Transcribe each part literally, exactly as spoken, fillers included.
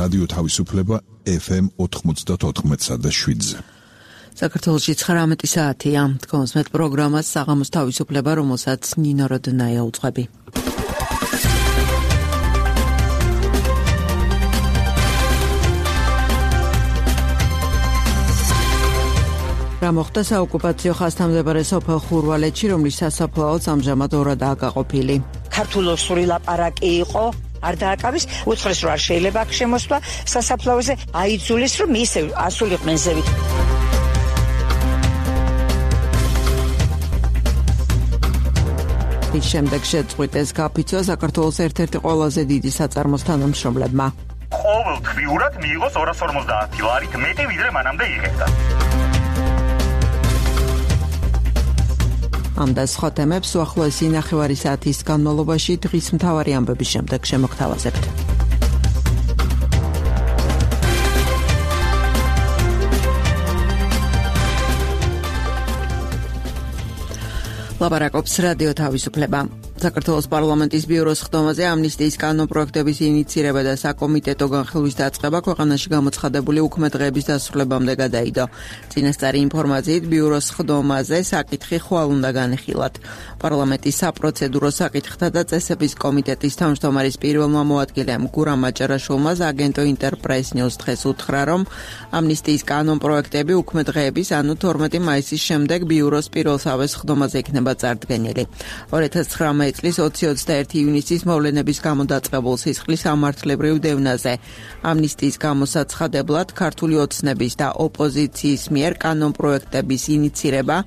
რადიო თავისუფლება ეფ ემ ოთხმოცდაოთხ და შვიდზე. საქართველოში ცხრამეტი საათია. თქოს მეტ პროგრამას საღამოს თავისუფლება, რომელსაც ნინო როდნაია უძღვები. რა მოხდა საოკუპაციო ხაზთამდებარე სოფელ ხურვალეთში, რომლის სასაფლაოც ამჟამად ორადაა გაყოფილი. ქართულოსური ლაპარაკი იყო, არ დააკავის, უთხრეს რომ არ შეიძლება აქ შემოსვლა სასაფლაოზე, აიძულეს რომ ისე ასულიყვნენ ზევით. ის შემდეგ შეწყვიტეს გაფიცვა საქართველოს ერთ-ერთი ყველაზე დიდი საწარმოს თანამშრომლებმა. ყოველთვიურად მიიღოს ორას ორმოცდაათი ლარით მეტი, ვიდრე მანამდე იღებდა. ამ და სხვა თემებს უახლოესი ნახევარი საათის განმავლობაში დღის მთავარი ამბების შემდეგ შემოგთავაზებთ. ლაპარაკობს რადიო თავისუფლება. საქართველოს პარლამენტის ბიუროს ხდომაზე ამნისტიის კანონპროექტების ინიცირება და საკომიტეტო განხილვის დაწყება ქვეყანაში გამოცხადებული უქმე დღეების დასრულებამდე გადაიდო. წინასწარი ინფორმაციით ბიუროს ხდომაზე საკითხი ხვალ უნდა განხილათ. პარლამენტის საპროცედურო საკითხთა და წესების კომიტეტის თავმჯდომარის პირველმა მოადგილემ გურამ მაჭარაშვილმა აგენტო ინტერპრეს ნიუს დღეს უთხრა, რომ ამნისტიის კანონპროექტები უქმე დღეების, ანუ თორმეტი მაისის შემდეგ ბიუროს პირველსავეს ხდომაზე იქნება წარდგენილი. ორი ათას ცხრამეტი წლის ოცი ოცდაერთი ივნისის მოვლენების გამო დაწყებულ სისხლის სამართლებრივ დევნაზე ამნისტიის გამოსაცხადებლად ქართული ოცნების და ოპოზიციის მიერ კანონპროექტების ინიცირება,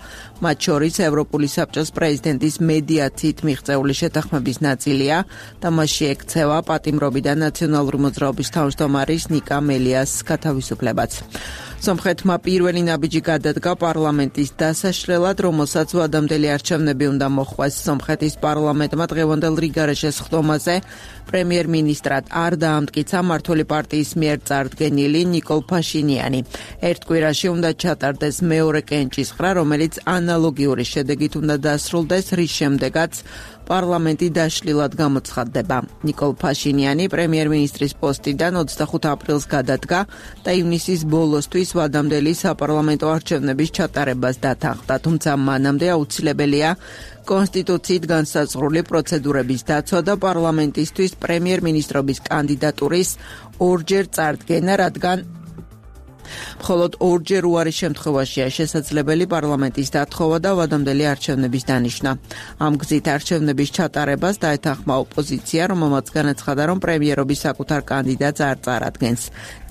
მათ შორის ევროპული საბჭოს პრეზიდენტის მედიაციით მიღწეული შეთანხმების ნაწილია და მასში ექცევა პატიმრობიდან ნაციონალური მოძრაობის თავმჯდომარის ნიკა მელიას გათავისუფლებაც. სომხეთმა პირველი ნაბიჯი გადადგა პარლამენტის დასაშლელად, რომელსაც ვადამდელი არჩევნები უნდა მოხვეს. სომხეთის პარლამენტმა დღევანდელ რიგარეშეს ხდომაზე პრემიერ-მინისტრად არ დაამტკიცა მმართველი პარტიის მიერ წარდგენილი ნიკოლ ფაშინიანი. ერთ კვირაში უნდა ჩატარდეს მეორე კენჭისყრა, რომელიც ანალოგიური შედეგით უნდა დასრულდეს, რის შემდეგაც პარლამენტი დაშლილად გამოცხადდება. ნიკოლ ფაშინიანი პრემიერ-მინისტრის პოსტიდან ოცდახუთ აპრილს გადადგა და ივნისის ბოლოსთვის ვადამდელი საპარლამენტო არჩევნების ჩატარებას დათანხმდა, თუმცა მანამდე აუცილებელია კონსტიტუციით განსაზღვრული პროცედურების დაცვა და პარლამენტისთვის პრემიერ-მინისტრობის კანდიდატურის ორჯერ წარდგენა, რადგან მხოლოდ ორჯერ უარის შემთხვევაშია შესაძლებელი პარლამენტის დათხოვა და ვადამდელი არჩევნების დანიშვნა. ამ გზით არჩევნების ჩატარებას დაეთანხმა ოპოზიცია, რომელმაც განაცხადა, რომ პრემიერობის საკუთარ კანდიდატს არ წარადგენს.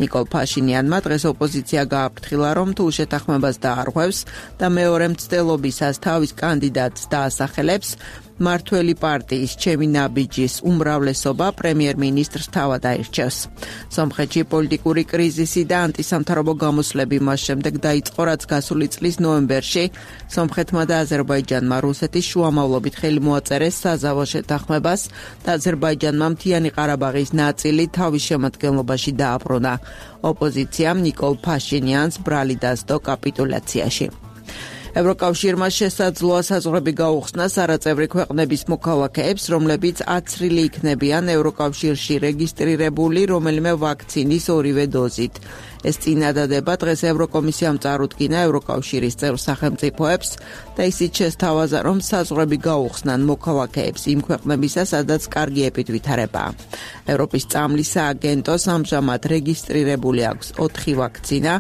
ნიკოლ ფაშინიანმა დღეს ოპოზიცია გააფრთხილა, რომ თუ შეთანხმებას დაარღვევს და მეორე მცდელობისას თავის კანდიდატს დაასახელებს, მართველი პარტიის ჩემი ნაბიჯის უმრავლესობა პრემიერ-მინისტრს თავად აირჩევს. სომხეთში პოლიტიკური კრიზისი და ანტისამთავრობო გამოსვლები მას შემდეგ დაიწყო, რაც გასული წლის ნოემბერში სომხეთმა და აზერბაიჯანმა რუსეთის შუამავლობით ხელი მოაწერეს საზავო შეთანხმებას და აზერბაიჯანმა მთიანი ყარაბაღის ნაწილი თავის შემადგენლობაში დააბრუნა. ოპოზიციამ ნიკოლ ფაშინიანს ბრალი დასდო კაპიტულაციაში. ევროკავშირმა შესაძლოა საზღვრები გაუხსნა არაწევრი ქვეყნების მოქალაქეებს, რომლებიც აცრილი იქნებიან ევროკავშირში რეგისტრირებული რომელიმე ვაქცინის ორივე დოზით. ეს წინადადება დღეს ევროკომისიამ წარუდგინა ევროკავშირის წევრ სახელმწიფოებს და ისიც შესთავაზა, რომ საზღვრები გაუხსნან მოქალაქეებს იმ ქვეყნებისა, სადაც კარგი ეპიდვითარებაა. ევროპის წამლის სააგენტოს ამჟამად რეგისტრირებული აქვს ოთხი ვაქცინა: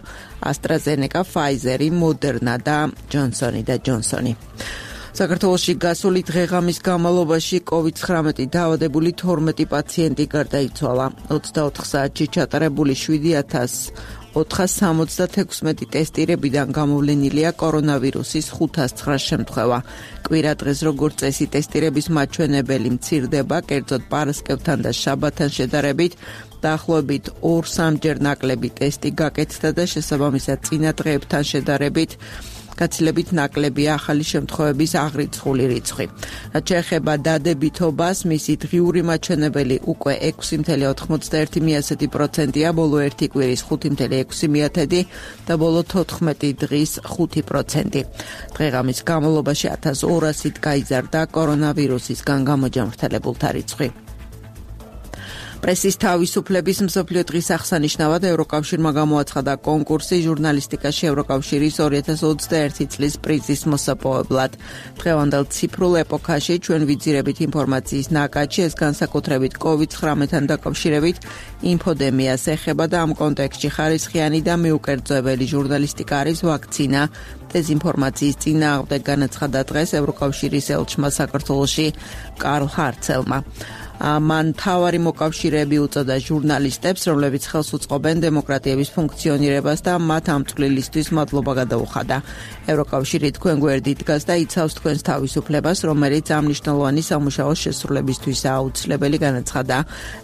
AstraZeneca, Pfizer, Moderna და Johnson და Johnson. საქართველოში გასული დღეღამის განმავლობაში კოვიდ ცხრამეტი დაავადებული თორმეტი პაციენტი გარდაიცვალა. ოცდაოთხ საათში ჩატარებული შვიდი ათას ოთხას სამოცდათექვსმეტი ტესტირებიდან გამოვლენილია კორონავირუსის ხუთას ცხრა შემთხვევა. კვირა დღეს როგორც წესი ტესტირების მაჩვენებელი მცირდება, კერძოდ პარასკევთან და შაბათთან შედარებით, დაახლოებით ორ სამჯერ ნაკლები ტესტი გაკეთდა და შესაბამისად წინა დღეებთან შედარებით გაცილებით ნაკლებია ახალი შემთხვევების აღრიცხული რიცხვი. რაც შეეხება დადებითობას, მისი დღიური მაჩვენებელი უკვე ექვსი წუთი ოთხმოცდაერთი პროცენტია, ბოლო ერთი კვირის ხუთი წუთი ექვსი და ბოლო თოთხმეტი დღის ხუთი პროცენტი. დღეღამის განმავლობაში ათას ორასით გაიზარდა კორონავირუსისგან გამოჯანმრთელებულთა რიცხვი. პრესის თავისუფლების მსოფლიო დღის აღსანიშნავად ევროკავშირმა გამოაცხადა კონკურსი ჟურნალისტიკაში ევროკავშირის ორი ათას ოცდაერთი წლის პრიზის მოსაპოვებლად. დღევანდელ ციფრულ ეპოქაში ჩვენ ვიძირებით ინფორმაციის ნაკადში, ეს განსაკუთრებით კოვიდ ცხრამეტთან დაკავშირებით ინფოდემიას ეხება და ამ კონტექსტში ხარისხიანი და მიუკერძოებელი ჟურნალისტიკა არის ვაქცინა. დეზინფორმაციის წინააღმდეგ განაცხადა დღეს ევროკავშირის ელჩმა საქართველოში კარლ ჰარცელმა. მან თავარი მოკავშირეები უწოდა ჟურნალისტებს, რომლებიც ხელს უწყობენ დემოკრატიების ფუნქციონირებას და მათ ამ წვლილისთვის მადლობა გადაუხადა. ევროკავშირი თქვენ გვერდით დგას და იცავს თქვენს თავისუფლებას, რომელიც ამ მნიშვნელოვანი სამუშაოს შესრულებისთვის აუცილებელი, განაცხადა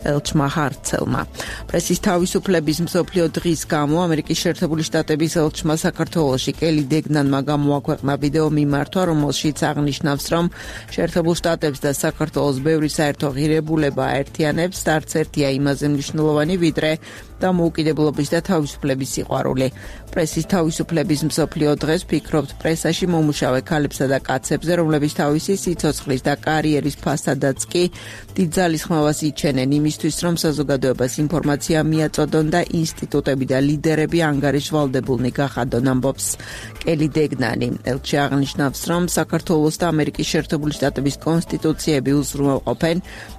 ელჩმა ჰარცელმა. პრესის თავისუფლების მსოფლიო დღის გამო ამერიკის შეერთებული შტატების ელჩმა საქართველოში კელი დეგნანმა გამოაქვეყნა ვიდეო მიმართვა, რომელშიც აღნიშნავს, რომ შეერთებულ შტატებს და საქართველოს ბევრი საერთო ღირებულება აერთიანებს და არც ერთია იმაზე მნიშვნელოვანი, ვიდრე დამოუკიდებლობის და თავისუფლების სიყვარული. პრესის თავისუფლების მსოფლიო დღეს ფიქრობთ პრესაში მომუშავე ქალებსა და კაცებზე, რომლებიც თავისი სიცოცხლის და კარიერის ფასადაც კი დიდ ძალისხმევას იჩენენ იმისთვის, რომ საზოგადოებას ინფორმაცია მიაწოდონ და ინსტიტუტები და ლიდერები ანგარიშვალდებულნი გახადონ, ამბობს კელი დეგნანი. ელჩი აღნიშნავს, რომ საქართველოს და ამერიკის შეერთებული შტატების კონსტიტუციები უზრუნველყოფენ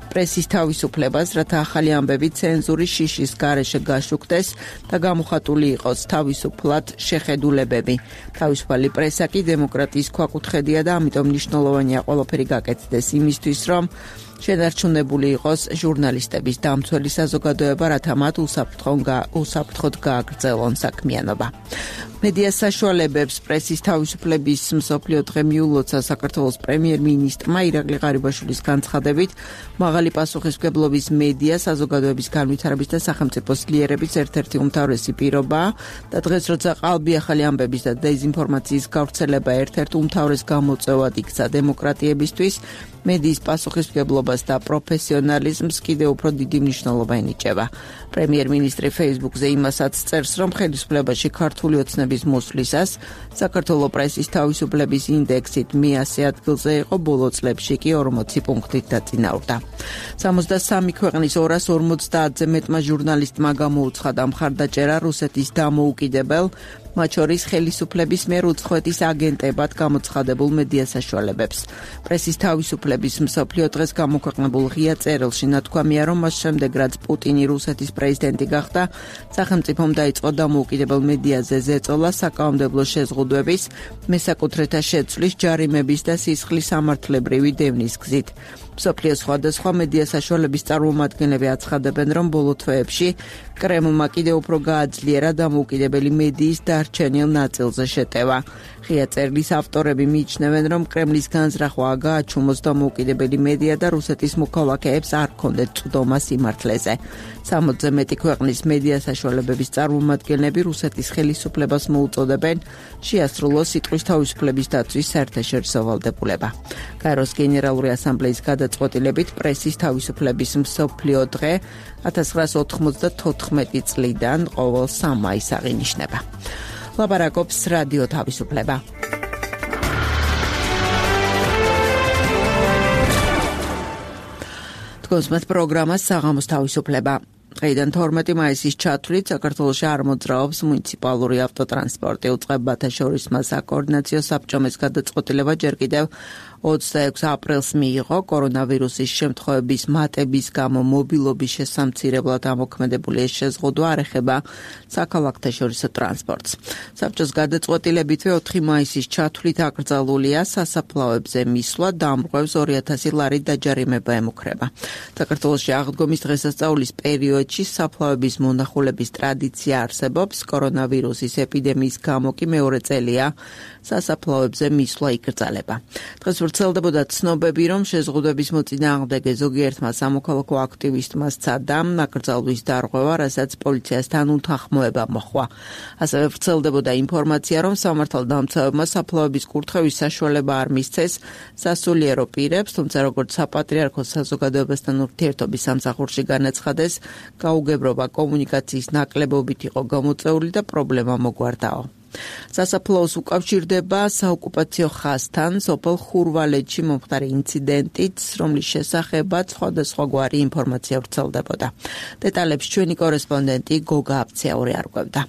პრესის თავისუფლებას, რათა ახალი ამბები ცენზურის შიშის გარეშე გაშუქდეს და გამოხატული იყოს თავისუფლად შეხედულებები. თავისუფალი პრესა კი დემოკრატიის ქვაკუთხედია და ამიტომ მნიშვნელოვანია ყველაფერი გაკეთდეს იმისთვის, რომ შენარჩუნებული იყოს ჟურნალისტების დამცველი საზოგადოება, რათა მათ უსაფრთხოდ გააგრძელონ საქმიანობა. მედია საშუალებებს პრესის თავისუფლების მსოფლიო დღე მიულოცა საქართველოს პრემიერ-მინისტრმა ირაკლი ღარიბაშვილის განცხადებით, მაღალი პასუხისმგებლობის მედია საზოგადოების განვითარების და სახელმწიფო ძლიერების ერთ-ერთი უმთავრესი პირობაა და დღეს როცა ყალბი ახალი ამბების და დეზინფორმაციის გავრცელება ერთ-ერთ უმთავრეს გამოწვევად იქცა დემოკრატიებისთვის, მედიის პასუხისმგებლობას და პროფესიონალიზმს კიდევ უფრო დიდი მნიშვნელობა ენიჭება. პრემიერ-მინისტრი Facebook-ზე იმასაც წერს, რომ ხელისუფლებაში ქართული ოცნების მოსვლისას საქართველოს პრესის თავისუფლების ინდექსით მეათე ადგილზე იყო, ბოლო წლებში კი ორმოცი პუნქტით დაწინაურდა. სამოცდასამი ქვეყნის ორას ორმოცდაათზე მეტმა ჟურნალისტმა გამოუცხადა მხარდაჭერა რუსეთის დამოუკიდებელ, მათ შორის ხელისუფლების მიერ უცხოეთის აგენტებად გამოცხადებულ მედია საშუალებებს. პრესის თავისუფლების მსოფლიო დღეს გამოქვეყნებულ ღია წერილში ნათქვამია, რომ მას შემდეგ, რაც პუტინი რუსეთის პრეზიდენტი გახდა, სახელმწიფომ დაიწყო დამოუკიდებელ მედიაზე ზეწოლა, საკანონმდებლო შეზღუდვების, მესაკუთრეთა შეცვლის, ჯარიმების და სისხლის სამართლებრივი დევნის გზით. მსოფლიოს სხვადასხვა მედია საშუალების წარმომადგენლები აცხადებენ, რომ ბოლო თვეებში კრემლმა კიდევ უფრო გააძლიერა დამოუკიდებელი მედიის დარჩენილ ნაწილზე შეტევა. ღია წერილის ავტორები მიიჩნევენ, რომ კრემლის განზრახვაა გააჩუმოს დამოუკიდებელი მედია და რუსეთის მოქალაქეებს არ ჰქონდეთ წვდომა სიმართლეზე. სამოცზე მეტი ქვეყნის მედია საშუალებების წარმომადგენლები რუსეთის ხელისუფლებას მოუწოდებენ შეასრულოს სიტყვის თავისუფლების დაცვის საერთაშორისო ვალდებულება. გაეროს გენერალური ასამბლეის გადაწყვეტილებით პრესის თავისუფლების მსოფლიო დღე ათას ცხრაას ოთხმოცდათოთხმეტი წლიდან ყოველ სამ მაისს აღინიშნება. ლაპარაკობს რადიო თავისუფლება. თქვენს პროგრამას საღამოს თავისუფლება. დღეიდან თორმეტი მაისის ჩათვლით საქართველოში არ მოძრაობს მუნიციპალური ავტოტრანსპორტი. უწყებათა შორისმა საკოორდინაციო საბჭომ ეს გადაწყვეტილება ჯერ კიდევ ოცდაექვსი აპრილს მიიღო. კორონავირუსის შემთხვევების მატების გამო მობილობის შესამცირებლად ამოქმედებული ეს შეზღუდვა არ ეხება საქალაქთა შორისო ტრანსპორტს. საბჭოს გადაწყვეტილებითვე ოთხი მაისის ჩათვლით აკრძალულია სასაფლაოებზე მისვლა, დამრღვევს ორი ათასი ლარი დაჯარიმება ემუქრება. საქართველოში აღდგომის დღესასწაულის პერიოდში საფლავების მონახულების ტრადიცია არსებობს. კორონავირუსის ეპიდემიის გამო კი მეორე წელია სასაფლაოებზე მისვლა იკრძალება. დღეს ვრცელდებოდა ცნობები, რომ შეზღუდვების მოწინააღმდეგე ზოგიერთმა სამოქალაქო აქტივისტმა სცადა აკრძალვის დარღვევა, რასაც პოლიციასთან უთანხმოება მოჰყვა. ასევე ვრცელდებოდა ინფორმაცია, რომ სამართალდამცავებმა საფლავების კურთხევის საშუალება არ მისცეს სასულიერო პირებს, თუმცა როგორც საპატრიარქოს საზოგადოებასთან ურთიერთობის სამსახურში განაცხადეს, გაუგებრობა კომუნიკაციის ნაკლებობით იყო გამოწვეული და პრობლემა მოგვარდაო. სასაფლაოს უკავშირდება საოკუპაციო ხაზთან, სოფელ ხურვალეთში მომხდარი ინციდენტით, რომლის შესახებაც სხვადასხვაგვარი ინფორმაცია ვრცელდებოდა. დეტალებს ჩვენი კორესპონდენტი გოგა აბცეაური არკვევდა.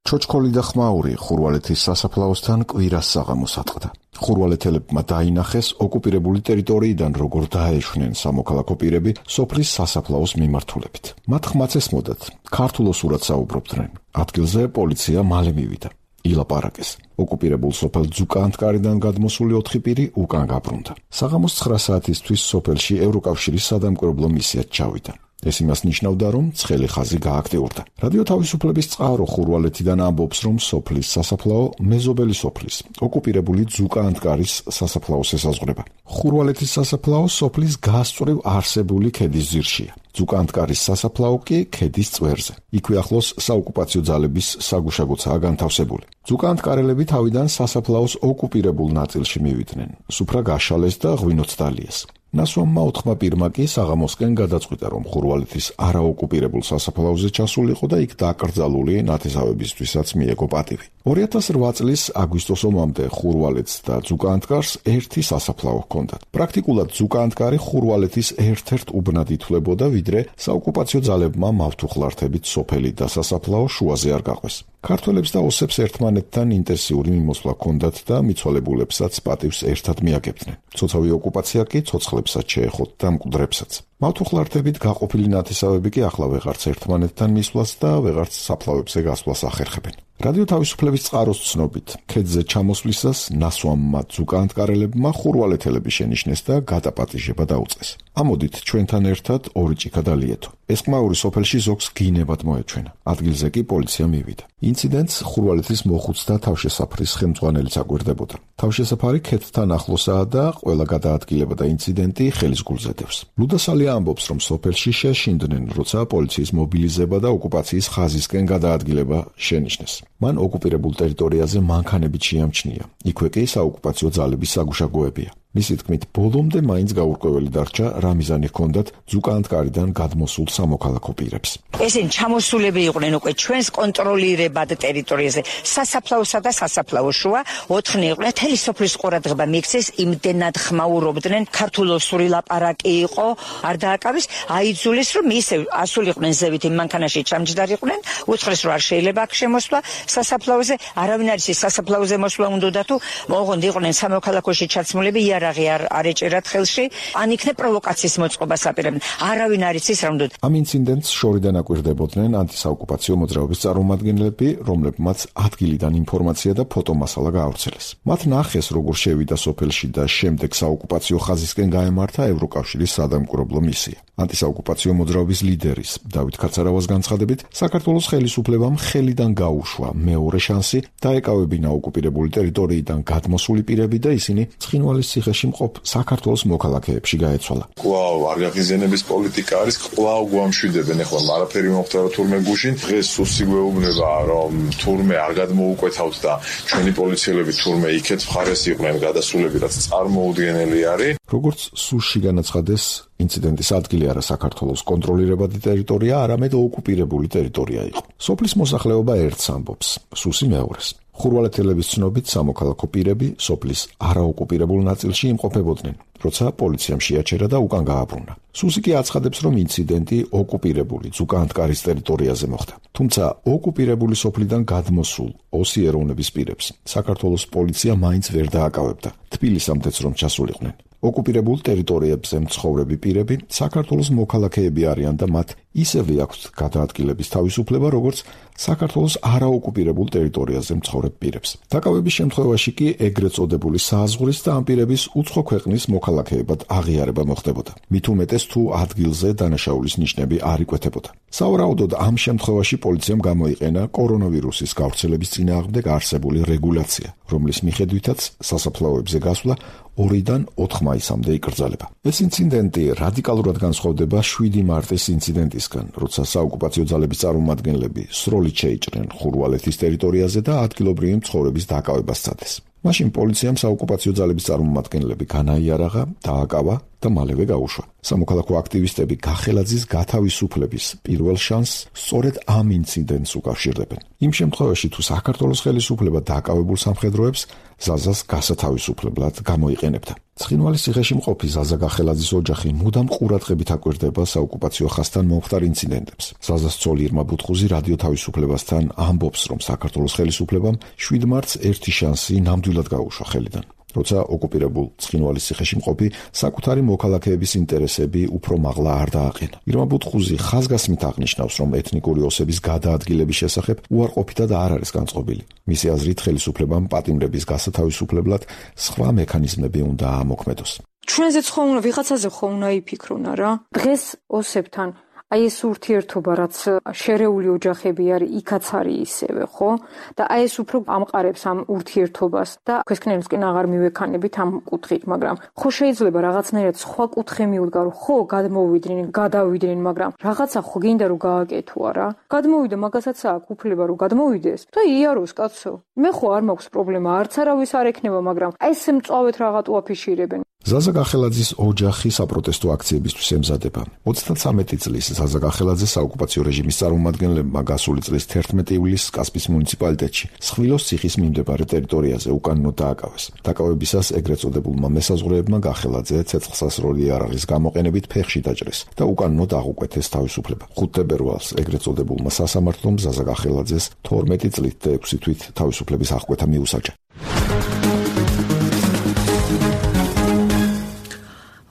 ჩოჩქოლი და ხმაური ხურვალეთის სასაფლაოსთან კვირას საღამოს ატყდა. ხურვალეთელებმა დაინახეს ოკუპირებული ტერიტორიიდან როგორ დაეშვნენ სამოქალაქო პირები სოფლის სასაფლაოს მიმართულებით. მათ ხმაც ესმოდათ, ქართულ ოსურად საუბრობდნენ. ადგილზე პოლიცია მალე მივიდა. ილაპარაკეს. ოკუპირებულ სოფელ ძუკანტკარიდან გადმოსული ოთხი პირი უკან გაბრუნდა. საღამოს ცხრა საათისთვის სოფელში ევროკავშირის სადამკვირვებლო მისიაც ჩავიდა. ეს იმას ნიშნავდა, რომ ცხელი ხაზი გააქტიურდა. რადიო თავისუფლების წყარო ხურვალეთიდან ამბობს, რომ სოფლის სასაფლაო მეზობელი სოფლის, ოკუპირებული ძუკანტკარის სასაფლაოს ესაზღვრება. ხურვალეთის სასაფლაო სოფლის გასწვრივ არსებული ქედის ძირშია. ძუკანტკარის სასაფლაო კი ქედის წვერზე. იქვე ახლოს საოკუპაციო ძალების საგუშაგოცაა განთავსებული. ძუკანტკარელები თავიდან სასაფლაოს ოკუპირებულ ნაწილში მივიდნენ. სუფრა გაშალეს და ღვინოც დალიეს. ნასვამმა ოთხმა პირმა კი საღამოსკენ გადაწყვიტა, რომ ხურვალეთის არაოკუპირებულ სასაფლაოზე ჩასულიყო და იქ დაკრძალული ნათესავებისთვისაც მიეგო პატივი. ორი ათას რვა წლის აგვისტოს ომამდე ხურვალეთს და ძუკანტკარს ერთი სასაფლაო ჰქონდათ. პრაქტიკულად ძუკანტკარი ხურვალეთის ერთ-ერთ უბნად ითვლებოდა, ვიდრე საოკუპაციო ძალებმა მავთუხლართებით სოფელი და სასაფლაო შუაზე არ გაყვეს. ქართველებს და ოსებს ერთმანეთთან ინტენსიური მიმოსვლა ჰქონდათ და მიცვალებულებსაც პატივს ერთად მიაგებდნენ. ცოცხალი ოკუპაცია კი ცოცხლებსაც შეეხოთ და მკვდრებსაც. მავთუხლართებით გაყოფილი ნათესავები კი ახლა ვეღარც ერთმანეთთან მისვლას და ვეღარც საფლავებზე გასვლას ახერხებენ. რადიო თავისუფლების წყაროს ცნობით, ქედზე ჩამოსვლისას ნასვამმა ძუკანტკარელებმა ხურვალეთელები შენიშნეს და გადაპატიჟება დაუწეს. ამოდით ჩვენთან ერთად ორი ჭიქა დალიეთო. ეს ყმაური სოფელში ზოგს გინებად მოეჩვენა. ადგილზე კი პოლიცია მივიდა. ინციდენტს ხურვალეთის მოხუცთა თავშესაფრის ხელმძღვანელიც აგვირდებოდა. თავშესაფარი ქედთან ახლოსაა და ყველა გადაადგილება და ინციდენტი ხელის გულზე დევს. ლუდასალია ამბობს, რომ სოფელში შეშინდნენ, როცა პოლიციის მობილიზება და ოკუპაციის ხაზისკენ გადაადგილება შენიშნეს. მან ოკუპირებულ ტერიტორიაზე მანქანებით შეამჩნია. იქვე კი საოკუპაციო ძალების საგუშაგოებია. მისი თქმით, ბოლომდე მაინც გაურკვეველი დარჩა, რა მიზანი ჰქონდათ ძუკანტკარიდან გადმოსულ სამოქალაქო პირებს. ესენი ჩამოსულები იყვნენ უკვე ჩვენს კონტროლირებად ტერიტორიაზე. სასაფლაოსა და სასაფლაოს შუა ოთხნი იყვნენ. თელი სოფლის ყურადღება მიიქცეს, იმდენად ხმაურობდნენ, ქართულოსური ლაპარაკი იყო, არ დააკავეს, აიძულეს, რომ ისევ ასულიყვნენ ზევით იმ მანქანაში ჩამჯდარიყვნენ, უთხრეს, რომ არ შეიძლება აქ შემოსვლა სასაფლაოზე, არავინ არ იცის სასაფლაოზე მოსვლა უნდა თუ მოღონდ იყვნენ სამოქალაქოში ჩაცმულები, იარაღი არ არ ეჭერათ ხელში, ან იქნებ პროვოკაციის მოწყობას აპირებდნენ. არავინ არ იცის რა უნდა. ამ ინციდენტს შორიდან აკვირდებოდნენ ანტისაოკუპაციო მოძრაობის წარმომადგენლები, რომლებმაც ადგილიდან ინფორმაცია და ფოტომასალა გაავრცელეს. მათ ნახეს, როგორ შევიდა სოფელში და შემდეგ საოკუპაციო ხაზისკენ გაემართა ევროკავშირის სადამკვირვებლო მისია. ანტისაოკუპაციო მოძრაობის ლიდერის დავით ქაცარავას განცხადებით, საქართველოს ხელისუფლებამ ხელიდან გაუშვა მეორე შანსი დაეკავებინა ოკუპირებული ტერიტორიიდან გადმოსული პირები და ისინი ცხინვალის ციხეში მყოფ საქართველოს მოქალაქეებში გაეცვალა. კვლავ არგაღიზიანების პოლიტიკა არის, კვლავ გვამშვიდებენ, ეხლა არაფერი მომხდარა თურმე გუშინ, დღეს სუსი გვეუბნება, რომ თურმე არ გადმოუკვეთავთ და ჩვენი პოლიციელები თურმე იქეთ მხარეს იყვნენ გადასულები, რაც წარმოუდგენელი არის. როგორც სუსში განაცხადეს, ინციდენტის ადგილი არა საქართველოს კონტროლირებადი ტერიტორია, არამედ ოკუპირებული ტერიტორია იყო. სოფლის მოსახლეობა ერთს ამბობს, სუსი მეორეს. ხურვალეთელების ცნობით სამოქალაქო პირები სოფლის არაოკუპირებულ ნაწილში იმყოფებოდნენ, როცა პოლიციამ შეაჩერა და უკან გააბრუნა. სუსი კი აცხადებს, რომ ინციდენტი ოკუპირებული ძუკანტკარის ტერიტორიაზე მოხდა. თუმცა ოკუპირებული სოფლიდან გადმოსულ ოსი ეროვნების პირებს საქართველოს პოლიცია მაინც ვერ დააკავებდა. თბილისამდეც რომ ჩასულიყვნენ. ოკუპირებულ ტერიტორიებზე მცხოვრები პირები საქართველოს მოქალაქეები არიან და მათ ისევე აქვთ გადაადგილების თავისუფლება, როგორც საქართველოს არაოკუპირებულ ტერიტორიაზე მცხოვრებ პირებს. დაკავების შემთხვევაში კი ეგრეთ წოდებული საზღვრის და ამ პირების უცხო ქვეყნის მოქალაქეებად აღიარება მოხდებოდა. მით უმეტეს თუ ადგილზე დანაშაულის ნიშნები არ იკვეთებოდა. სავარაუდოდ ამ შემთხვევაში პოლიციამ გამოიყენა კორონავირუსის გავრცელების წინააღმდეგ არსებული რეგულაცია, რომლის მიხედვითაც სასაფლაოებზე გასვლა ორიდან ოთხ მაისამდე იკრძალება. ეს ინციდენტი რადიკალურად განსხვავდება შვიდი მარტის ინციდენტისგან, როცა საოკუპაციო ძალების წარმომადგენლები სროლით შეიჭრნენ ხურვალეთის ტერიტორიაზე და ადგილობრივი მცხოვრების დაკავებას სცადეს. მაშინ პოლიციამ საოკუპაციო ძალების წარმომადგენლები განაიარაღა, დააკავა და მალევე გაუშვა. სამოქალაქო აქტივისტები გახელაძის გათავისუფლების პირველ შანსს სწორედ ამ ინციდენტს უკავშირდებენ. იმ შემთხვევაში, თუ საქართველოს ხელისუფლება დაკავებულ სამხედროებს ზაზას გასათავისუფლებლად გამოიყენებდა. ცხინვალის ციხეში მყოფი ზაზა გახელაძის ოჯახი მუდამ ყურადღებით აკვირდება საოკუპაციო ხაზთან მომხდარ ინციდენტებს. ზაზას ცოლი ირმა ბუთხუზი რადიო თავისუფლებასთან ამბობს, რომ საქართველოს ხელისუფლებამ შვიდ მარტს ერთი შანსი ნამდვილად გაუშვა ხელიდან. როცა ოკუპირებულ ცხინვალის ციხეში მყოფი საკუთარი მოქალაქეების ინტერესები უფრო მაღლა არ დააყენა. ირმა ბუთხუზი ხაზგასმით აღნიშნავს, რომ ეთნიკური ოსების გადაადგილების შესახებ უარყოფითად არ არის განწყობილი. მისი აზრით, ხელისუფლებამ პატიმრების გასათავისუფლებლად სხვა მექანიზმები უნდა ამოქმედოს. ჩვენზეც ხო უნდა ვიღაცაზე ხო უნდა იფიქრონა რა. დღეს ოსებთან აი ეს ურთიერთობა, რაც შერეული ოჯახები არის, იქაც არის ისევე, ხო? და აი ეს უფრო ამყარებს ამ ურთიერთობას და ქვესკნელისკენ აღარ მივექანებით ამ კუთხით, მაგრამ ხო შეიძლება რაღაცნაირად სხვა კუთხე მივდგარო, ხო გადმოვიდნენ, გადავიდნენ, მაგრამ რაღაცა ხო გინდა რომ გააკეთო არა? გადმოვიდა, მაგასაც აქვს უფლება რომ გადმოვიდეს და იაროს კაცო. მე ხო არ მაქვს პრობლემა, არც არავის არ ექნება, მაგრამ აი ეს მწვავედ რაღაცა აფიშირებენ. ზაზა გახელაძის ოჯახი საპროტესტო აქციებისთვის ემზადება. ოცდათვრამეტი წლის ზაზა გახელაძე საოკუპაციო რეჟიმის წარმომადგენლებმა გასული წლის თერთმეტი ივლისს კასპის მუნიციპალიტეტში სხვილოს ციხის მიმდებარე ტერიტორიაზე უკანონოდ დააკავეს. დაკავებისას ეგრეთ წოდებულმა მესაზღვრეებმა გახელაძე ცეცხლსასროლი იარაღის გამოყენებით ფეხში დაჭრეს და უკანონოდ აღუკვეთეს თავისუფლება. ხუთი თებერვალს ეგრეთ წოდებულმა სასამართლომ ზაზა გახელაძეს თორმეტი წლით და ექვსი თვით თავისუფლების აღკვეთა მიუსაჯა.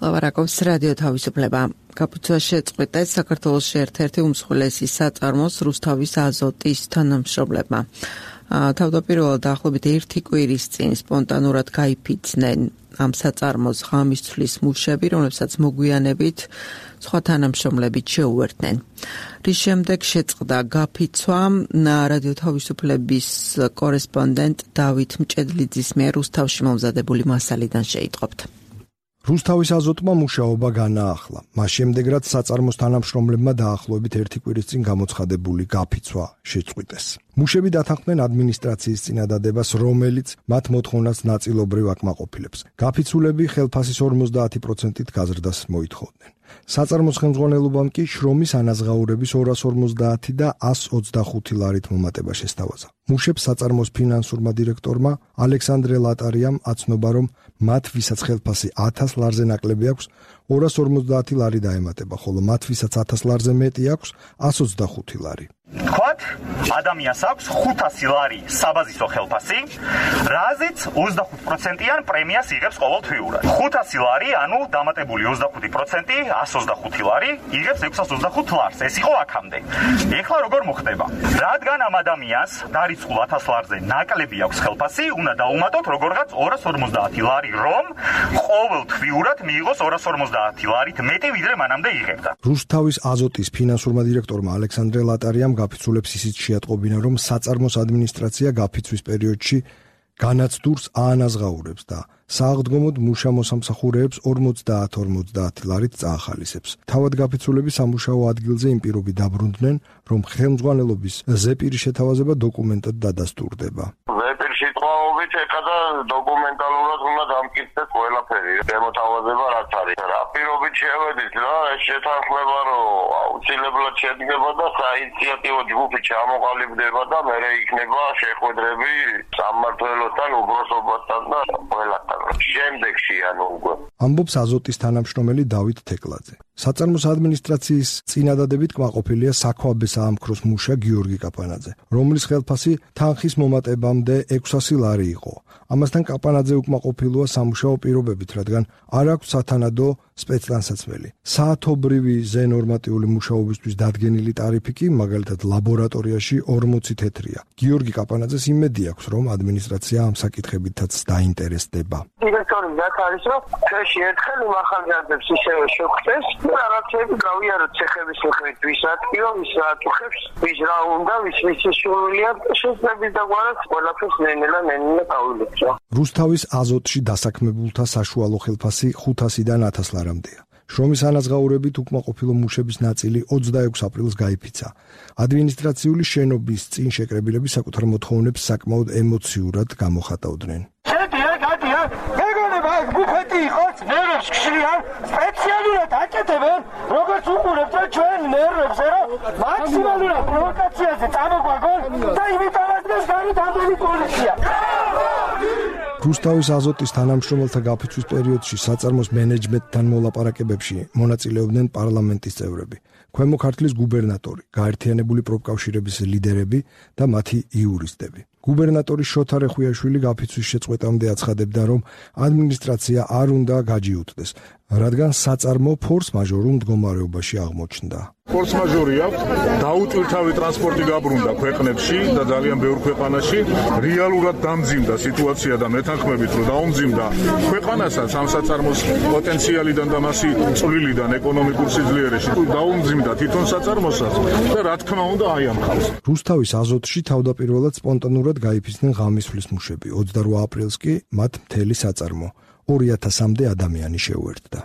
ლავარაკობს რადიო თავისუფლება. გაფუძნა შეწყვიტეს საქართველოში ერთ-ერთი უმსხვილესი საწარმოს რუსთავის აზოტის თანამშრომლებმა. თავდაპირველად დაახლოებით ერთი კვირის წინ სპონტანურად გაიფიცნენ ამ საწარმოს ღამის ცვლის მუშები, რომლებსაც მოგვიანებით სხვა თანამშრომლებით შეუერთდნენ. რის შემდეგ შეწყდა გაფიცვა რადიო თავისუფლების კორესპონდენტ დავით მჭედლიძის მიერ რუსთავში მომზადებული მასალიდან შეიტყობთ. რუსთავის აზოტმა მუშაობა განაახლა. მას შემდეგ, რაც საწარმოს თანამშრომლებმა დაახლოებით ერთი კვირის წინ გამოცხადებული გაფიცვა შეწყვიტეს. მუშები დათანხმდნენ ადმინისტრაციის წინადადებას, რომელიც მათ მოთხოვნას ნაწილობრივ აკმაყოფილებს. გაფიცულები ხელფასის ორმოცდაათი პროცენტით გაზრდას მოითხოვდნენ. საწარმოს ხელმძღვანელობამ კი შრომის ანაზღაურების ორას ორმოცდაათი და ასს ოცდახუთი ლარით მომატება შესთავაზა. მუშებს საწარმოს ფინანსურმა დირექტორმა ალექსანდრე ლატარიამ აცნობა, რომ მათ ვისაც ხელფასი ათას ლარზე ნაკლები აქვს, ორას ორმოცდაათი ლარი დაემატება, ხოლო მათ ვისაც ათას ლარზე მეტი აქვს, ასს ოცდახუთი ლარი. თქვათ, ადამიანს აქვს ხუთასი ლარი საბაზისო ხელფასი, რაზეც ოცდახუთ პროცენტიან პრემიას იღებს ყოველთვიურად. ხუთასი ლარი, ანუ დამატებული ოცდახუთი პროცენტი, ასს ოცდახუთი ლარი, იღებს ექვსას ოცდახუთ ლარს. ეს იყო აქამდე. ეხლა როგორ მოხდება? რადგან ამ ადამიანს დარიცხულ ათას ლარზე ნაკლები აქვს ხელფასი, უნდა დაუმატოთ როგორღაც ორას ორმოცდაათი ლარი, რომ ყოველთვიურად მიიღოს ორას ორმოცდაათი ლარით მეტი, ვიდრე მანამდე იღებდა. რუსთავის აზოტის ფინანსურმა დირექტორმა ალექსანდრე ლატარიამ გაფიცულებს ისიც შეატყობინა, რომ საწარმოს ადმინისტრაცია გაფიცვის პერიოდში განაცდურს აანაზღაურებს და სააღდგომოდ მუშა-მოსამსახურეებს ორმოცდაათ ორმოცდაათი ლარით წაახალისებს. თავად გაფიცულები სამუშაო ადგილზე იმ პირობით დაბრუნდნენ, რომ ხელმძღვანელობის ზეპირი შეთავაზება დოკუმენტად დადასტურდება. ზეპირი სიტყვაობით ეხლა დოკუმენტალურად უნდა დამკითხდეს ყველაფერი. შემოთავაზება რაც არის. რა პირობით შევედით რა, ეს შეთანხმება რომ აუცილებლად შედგება და საინიციატივო ჯგუფი ჩამოყალიბდება და მერე იქნება შეხვედრები სამმართველოსთან, უგროსობასთან და ყველასთან. შემდეგში ანუ უკვე. ამბობს აზოტის თანამშრომელი დავით თეკლაძე. საწარმოს ადმინისტრაციის წინადადებით კმაყოფილია საქვაბე საამქროს მუშა გიორგი კაპანაძე, რომლის ხელფასი თანხის მომატებამდე ექვსასი ლარი იყო. ამასთან კაპანაძე უკმაყოფილოა სამუშაო პირობებით, რადგან არ აქვს სათანადო სპეცტანსაცმელი. საათობრივი ზენორმატიული მუშაობისთვის დადგენილი ტარიფი კი მაგალითად ლაბორატორიაში ორმოცი თეთრია. გიორგი კაპანაძეს იმედი აქვს, რომ ადმინისტრაცია ამ საკითხებითაც დაინტერესდება. დირექტორი რაც არის, რომ ჩვენში ერთხელ იმ ახალგაზრდებს ისევე შევხვდეს და რაღაცები გავიაროთ ცეხების მიხედვით, ვის რა თქმა ვის რა აწუხებს, ვის რა უნდა, ვის ვის სურვილია შესაძლებელი დაგვარად ყველაფერს ნენელა ნენელა გავილებთ. რუსთავის აზოტში დასაქმებულთა საშუალო ხელფასი ხუთასიდან ათას ლარამდეა. შრომის ანაზღაურებით უკმაყოფილო მუშების ნაწილი ოცდაექვსი აპრილს გაიფიცა. ადმინისტრაციული შენობის წინ შეკრებილები საკუთარ მოთხოვნებს საკმაოდ ემოციურად გამოხატავდნენ. შეტია, გატია, მეგონება, აქ ბუფეტი იყოს, ნერვებს ხშირიან, სპეციალურად აკეთებენ, როგორც უყურებთ ჩვენ ნერვებს, რომ მაქსიმალურად პროვოკაციაზე წამოგვაგონ და იმიტომაც ეს გარეთ ამდენი პოლიცია. რუსთავის აზოტის თანამშრომელთა გაფიცვის პერიოდში საწარმოს მენეჯმენტთან მოლაპარაკებებში მონაწილეობდნენ პარლამენტის წევრები, ქვემო ქართლის გუბერნატორი, გაერთიანებული პროფკავშირების ლიდერები და მათი იურისტები. გუბერნატორი შოთა რეხუიაშვილი გაფიცვის შეწყვეტამდე აცხადებდა, რომ ადმინისტრაცია არ უნდა გაჯიუტდეს, რადგან საწარმო ფორს-მაჟორულ მდგომარეობაში აღმოჩნდა. ფორს-მაჟორი აქვს, დაუტვირთავი ტრანსპორტი გაბრუნდა ქვეყნებში და ძალიან ბევრ ქვეყანაში, რეალურად დამძიმდა სიტუაცია და მეთანხმებით რომ დაუმძიმდა ქვეყანასაც ამ საწარმოს პოტენციალიდან და მასი წვლილიდან ეკონომიკურ სიძლიერეში დაუმძიმდა თვითონ საწარმოსაც და რა თქმა უნდა აი ამ ხალხს. რუსთავის აზოტში თავდაპირველად სპონტანურად გაიფიცნენ ღამისხლის მუშები, ოცდაოთხ აპრილს კი მათ მთელი საწარმო ორი ათასამდე ადამიანი შეუერთდა.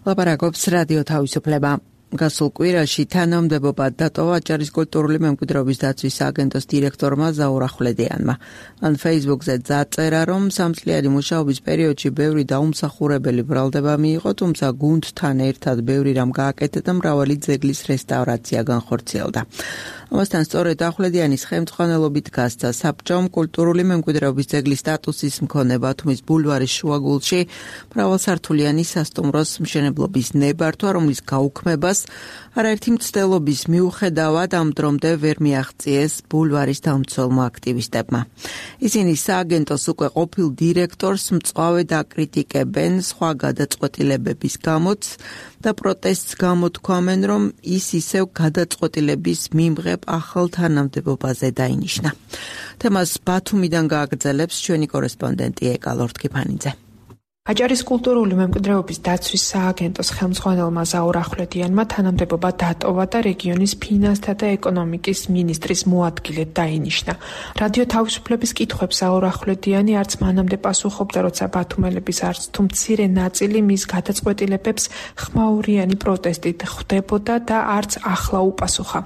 ლაპარაკობს რადიო თავისუფლება. გასულ კვირაში თანამდებობა დატოვა აჭარის კულტურული მემკვიდრეობის დაცვის სააგენტოს დირექტორმა ზაურ ახვლედიანმა. მან Facebook-ზე დაწერა, რომ სამწლიანი მუშაობის პერიოდში ბევრი დაუმსახურებელი ბრალდება მიიღო, თუმცა გუნდთან ერთად ბევრი რამ გააკეთა და მრავალი ძეგლის რესტავრაცია განხორციელდა. ამასთან სწორედ ახვლედიანის ხელმძღვანელობით გასცა საბჭომ კულტურული მემკვიდრეობის ძეგლის სტატუსის მქონე ბათუმის ბულვარის შუაგულში მრავალსართულიანი სასტუმროს მშენებლობის ნებართვა, რომლის გაუქმებას არაერთი მცდელობის მიუხედავად ამ დრომდე ვერ მიაღწიეს ბულვარის დამცველმა აქტივისტებმა. ისინი სააგენტოს უკვე ყოფილ დირექტორს მწვავედ აკრიტიკებენ სხვა გადაწყვეტილებების გამოც და პროტესტს გამოთქვამენ, რომ ის ისევ გადაწყვეტილების მიმღებ ახალ თანამდებობაზე დაინიშნა. თემას ბათუმიდან გააგრძელებს ჩვენი კორესპონდენტი ეკა ლორთქიფანიძე. აჭარის კულტურული მემკვიდრეობის დაცვის სააგენტოს ხელმძღვანელმა ზაურ ახვლედიანმა თანამდებობა დატოვა და რეგიონის ფინანსთა და ეკონომიკის მინისტრის მოადგილედ დაინიშნა. რადიო თავისუფლების კითხვებს ზაურ ახვლედიანი არც მანამდე პასუხობდა, როცა ბათუმელების არც თუ მცირე ნაწილი მის გადაწყვეტილებებს ხმაურიანი პროტესტით ხვდებოდა და არც ახლა უპასუხა.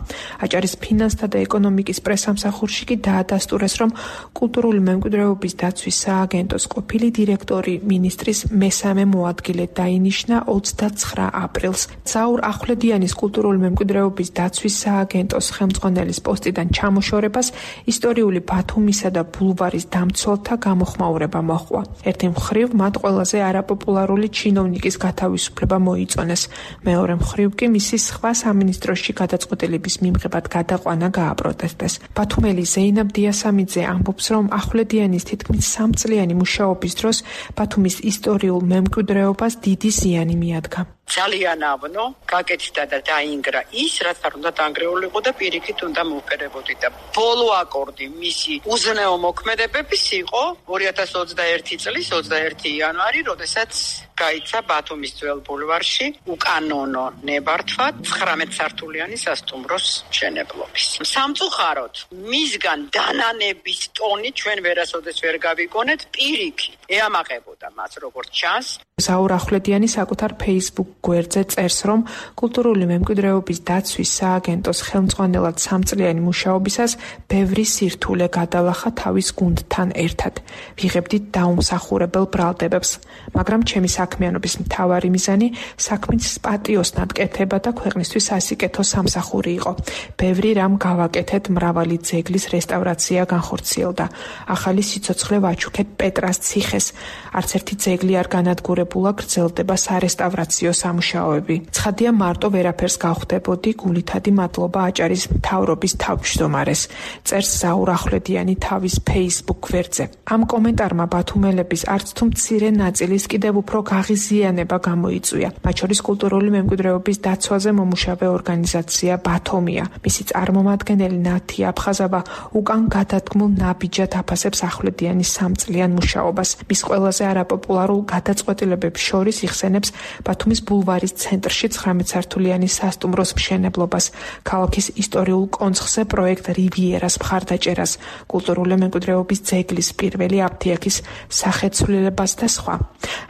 აჭარის ფინანსთა და ეკონომიკის პრესამსახურში კი დაადასტურეს, რომ კულტურული მემკვიდრეობის დაცვის სააგენტოს ყოფილი დირექტორი მინისტრის მესამე მოადგილედ დაინიშნა ოცდაცხრა აპრილს. ზაურ ახვლედიანის კულტურული მემკვიდრეობის დაცვის სააგენტოს ხელმძღვანელის პოსტიდან ჩამოშორებას ისტორიული ბათუმისა და ბულვარის დამცველთა გამოხმაურება მოჰყვა. ერთი მხრივ მათ ყველაზე არაპოპულარული ჩინოვნიკის გათავისუფლება მოიწონეს. მეორე მხრივ კი მისი სხვა სამინისტროში გადაწყვეტილების მიმღებად გადაყვანა გააპროტესტეს. ბათუმელი ზეინაბ დიასამიძე ამბობს, რომ ახვლედიანის თითქმის სამწლიანი მუშაობის დროს ბათუმის ისტორიულ მემკვიდრეობას დიდი ზიანი მიადგა. ძალიან ავნო, გაკეთდა და დაინგრა ის, რაც არ უნდა დაანგრეულიყო და პირიქით უნდა მოვფერებოდი და ბოლო აკორდი მისი უზნეო მოქმედებების იყო ორი ათას ოცდაერთი წლის ოცდაერთი იანვარი, როდესაც გაიცა ბათუმის ძველ ბულვარში უკანონო ნებართვა ცხრამეტსართულიანი სასტუმროს მშენებლობის. სამწუხაროდ, მისგან დანანების ტონი ჩვენ ვერასოდეს ვერ გავიგონეთ, პირიქით ეამაყებოდა მას როგორც ჩანს. ზაურ ახვლედიანი საკუთარ Facebook გვერდზე წერს, რომ კულტურული მემკვიდრეობის დაცვის სააგენტოს ხელმძღვანელად სამწლიანი მუშაობისას ბევრი სირთულე გადალახა თავის გუნდთან ერთად. ვიღებდით დაუმსახურებელ ბრალდებებს, მაგრამ ჩემი საქმიანობის მთავარი მიზანი საქმის პატიოსნად კეთება და ქვეყნისთვის სასიკეთო სამსახური იყო. ბევრი რამ გავაკეთეთ, მრავალი ძეგლის რესტავრაცია განხორციელდა. ახალი სიცოცხლე ვაჩუქეთ პეტრას ციხეს. არც ერთი ძეგლი არ განადგურებულა, გრძელდება სარესტავრაციო სამუშაოები. ცხადია, მარტო ვერაფერს გავხდებოდი, გულითადი მადლობა აჭარის მთავრობის თავმჯდომარეს, წერს ზაურ ახვლედიანი თავის Facebook გვერდზე. ამ კომენტარმა ბათუმელების არც თუ მცირე ნაწილის კიდევ უფრო გაღიზიანება გამოიწვია. მათ შორის კულტურული მემკვიდრეობის დაცვაზე მომუშავე ორგანიზაცია ბათომია. მისი წარმომადგენელი ნათი აფხაზავა უკან გადადგმულ ნაბიჯად აფასებს ახვლედიანის სამწლიან მუშაობას. მის ყველაზე არაპოპულარულ გადაწყვეტილებებს შორის იხსენებს ბათუმის ბულვარის ცენტრში ცხრამეტ სართულიანი სასტუმროს მშენებლობას, ქალაქის ისტორიულ კონცხზე პროექტ რივიერას მხარდაჭერას, კულტურული მემკვიდრეობის ძეგლის პირველი აფთიაქის სახეცვლილებას და სხვა.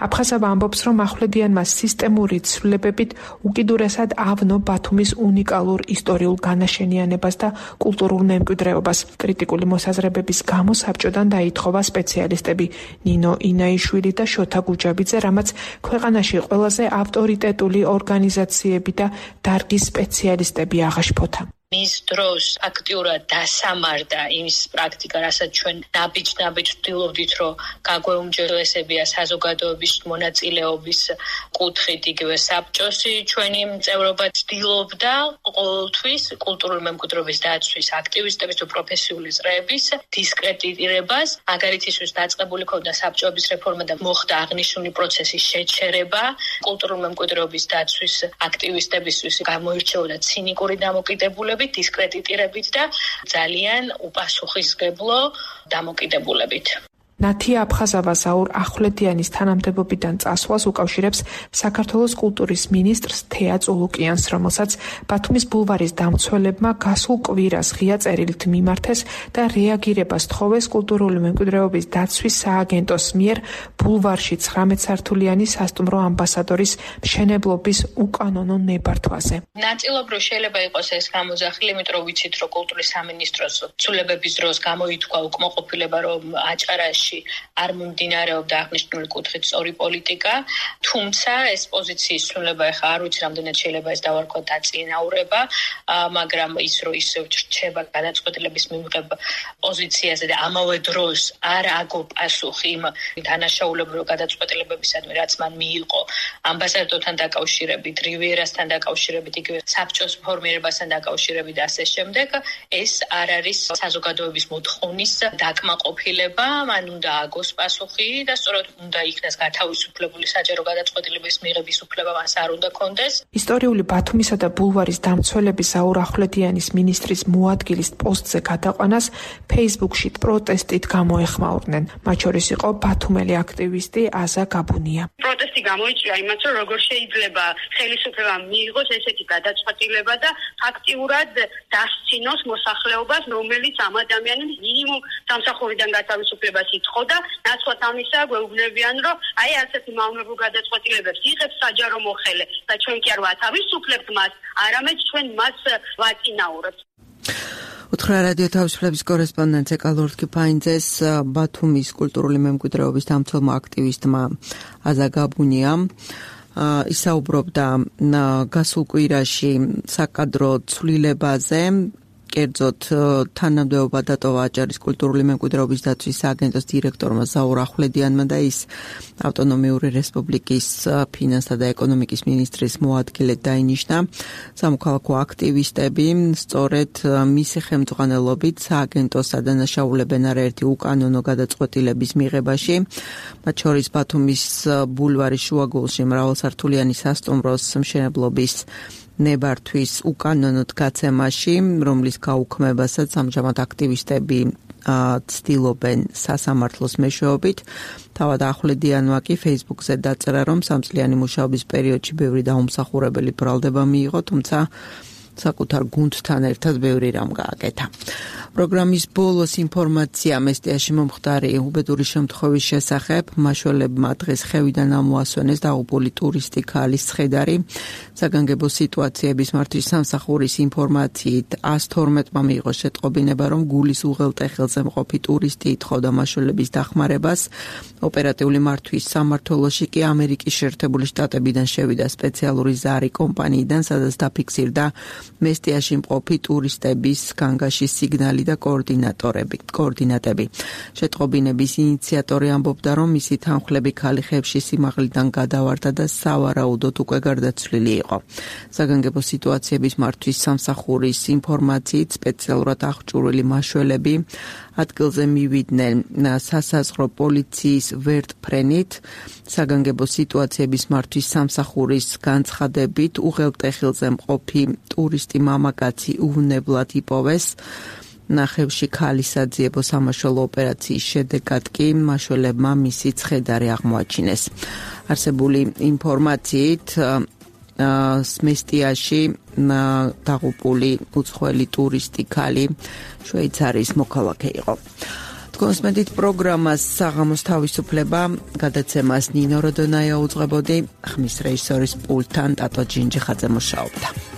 აფხაზავა ამბობს, რომ ახვლედიანმა სისტემური ცვლილებებით უკიდურესად ავნო ბათუმის უნიკალურ ისტორიულ განაშენიანებას და კულტურულ მემკვიდრეობას. კრიტიკული მოსაზრებების გამო საბჭოდან დაითხოვა სპეციალისტები ნინო ინაიშვილი და შოთა გუჯაბიძე, რამაც ქვეყანაში ყველაზე ავტორიტეტული ორგანიზაციები და დარგის სპეციალისტები აღაშფოთა. მის დროს აქტიურად დასამარდა იმის პრაქტიკა, რასაც ჩვენ ნაბიჯ-ნაბიჯ ვთვლობდით, რომ გაგვეუმჯობესებია საზოგადოების მონაწილეობის კუთხით, იგივე საბჭოსი ჩვენი მწევრობა ცდილობდა ყოველთვის კულტურული მემკვიდრეობის დაცვის აქტივისტების თუ პროფესიული წრეების დისკრედიტირებას, მაგალითად ისიც დაწყებული ქონდა საბჭოების რეფორმა და მოხდა აღნიშნული პროცესის შეჩერება, კულტურული მემკვიდრეობის დაცვის აქტივისტებისთვის გამოირჩეოდა ცინიკური დამოკიდებულება, დისკრედიტირებით და ძალიან უპასუხისმგებლო დამოკიდებულებით. ნათია აფხაზავა ზაურ ახვლედიანის თანამდებობიდან წასვლას უკავშირებს საქართველოს კულტურის მინისტრს თეა წულუკიანს, რომელსაც ბათუმის ბულვარის დამცველებმა გასულ კვირას ღია წერილით მიმართეს და რეაგირებას თხოვეს კულტურული მემკვიდრეობის დაცვის სააგენტოს მიერ ბულვარში ცხრამეტ სართულიანი სასტუმრო ამბასადორის მშენებლობის უკანონო ნებართვაზე. ნაწილობრივ შეიძლება იყოს ეს გამოძახილი, იმიტომ რომ ვიცით, რომ კულტურის სამინისტროს ცვლილებების დროს გამოითქვა უკმაყოფილება, რომ აჭარაში არ მომდინარეობდა აღნიშნული კუთხით სწორი პოლიტიკა, თუმცა ეს პოზიციის ცვლილება ახლა არ ვიცი რამდენად შეიძლება ეს დავარქვა დაწინაურება, მაგრამ ის რომ ისევ რჩება გადაწყვეტილების მიღება პოზიციაზე და ამავე დროს არ აგო პასუხი იმ დანაშაულებრივ გადაწყვეტილებებისადმი, რაც მან მიიღო ამბასადორთან დაკავშირებით, რივიერასთან დაკავშირებით, იგივე საბჭოს ფორმირებასთან დაკავშირებით და ასე შემდეგ, ეს არ არის საზოგადოების მოთხოვნის დაკმაყოფილება, მან უნდა აგოს პასუხი და სწორედ უნდა იქნას გათავისუფლებული საჯარო გადაწყვეტილების მიღების უფლება მას არ უნდა კონდეს. ისტორიული ბათუმისა და ბულვარის დამცველების ზაურ ახვლედიანის მინისტრის მოადგილის პოსტზე გადაყვანას Facebook-ში პროტესტით გამოეხმაურნენ. მათ შორის იყო ბათუმელი აქტივისტი აზა გაბუნია. პროტესტი გამოიწვია იმას, რომ როგორ შეიძლება ხელისუფლება მიიღოს ესეთი გადაწყვეტილება და ფაქტიურად დასცინოს მოსახლეობას, რომელიც ამ ადამიანის მინიმუმ სამსახურიდან გათავისუფლებას ითხოვდა, ნაცვლად ამისა გვეუბნებიან, რომ აი ასეთი მავნებელ გადაწყვეტილებებს იღებს საჯარო მოხელე და ჩვენ კი არ ვათავისუფლებთ მას, არამედ ჩვენ მას ვაწინაურებთ. უთხრა რადიო თავისუფლების კორესპონდენტ ეკალორთკი ფაინძეს ბათუმის კულტურული მემკვიდრეობის დამცველმა აქტივისტმა აზა გაბუნიამ ისაუბრობდა გასულ კვირაში საკადრო ცვლილებაზე, კერძოდ თანამდებობა დატოვა აჭარის კულტურული მემკვიდრეობის დაცვის სააგენტოს დირექტორმა ზაურ ახვლედიანმა და ის ავტონომიური რესპუბლიკის ფინანსთა და ეკონომიკის მინისტრის მოადგილედ დაინიშნა. სამოქალაქო აქტივისტები სწორედ მისი ხელმძღვანელობით სააგენტოს ადანაშაულებენ არაერთი უკანონო გადაწყვეტილების მიღებაში, მათ შორის ბათუმის ბულვარის შუაგულში მრავალსართულიანი სასტუმროს მშენებლობის ნებართვის უკანონოდ გაცემაში, რომლის გაუქმებასაც ამჟამად აქტივისტები ცდილობენ სასამართლოს მეშვეობით. თავად ახვლედიანმა კი Facebook-ზე დაწერა, რომ სამწლიანი მუშაობის პერიოდში ბევრი დაუმსახურებელი ბრალდება მიიღო, თუმცა საკუთარ გუნდთან ერთად ბევრი რამ გააკეთა. პროგრამის ბოლოს ინფორმაცია მესტიაში მომხდარი უბედური შემთხვევის შესახებ. მაშველებმა დღეს ხევიდან ამოასვენეს დაღუპული ტურისტი ქალის ცხედარი. საგანგებო სიტუაციების მართვის სამსახურის ინფორმაციით ას თორმეტმა მიიღო შეტყობინება, რომ გულის უღელტეხილზე მყოფი ტურისტი ითხოვდა მაშველების დახმარებას. ოპერატიული მართვის სამმართველოში კი ამერიკის შეერთებული შტატებიდან შევიდა სპეციალური ზარი კომპანიიდან, სადაც დაფიქსირდა მესტიაში მყოფი ტურისტების განგაშის სიგნალი და კოორდინატორები, კოორდინატები. შეტყობინების ინიციატორი ამბობდა, რომ მისი თანხლები ქალი ხევში სიმაღლიდან გადავარდა და სავარაუდოდ უკვე გარდაცვლილი იყო. საგანგებო სიტუაციების მართვის სამსახურის ინფორმაციით სპეციალურად აღჭურვილი მაშველები ადგილზე მივიდნენ სასაზღვრო პოლიციის ვერტფრენით. საგანგებო სიტუაციების მართვის სამსახურის განცხადებით უღელტეხილზე მყოფი ტურისტი მამაკაცი უვნებლად იპოვეს. ნახევში ქალის საძიებო სამაშველო ოპერაციის შედეგად კი მაშველებმა მისი ცხედარი აღმოაჩინეს. არსებული ინფორმაციით სმესტიაში დაღუპული უცხოელი ტურისტი ქალი შვეიცარიის მოქალაქე იყო. თქვენს მედით პროგრამას საღამოს თავისუფლება გადაცემას ნინო როდონაია უძღვებოდი, ხმის რეჟისორის პულტთან ტატო ჯინჯიხაძე მუშაობდა.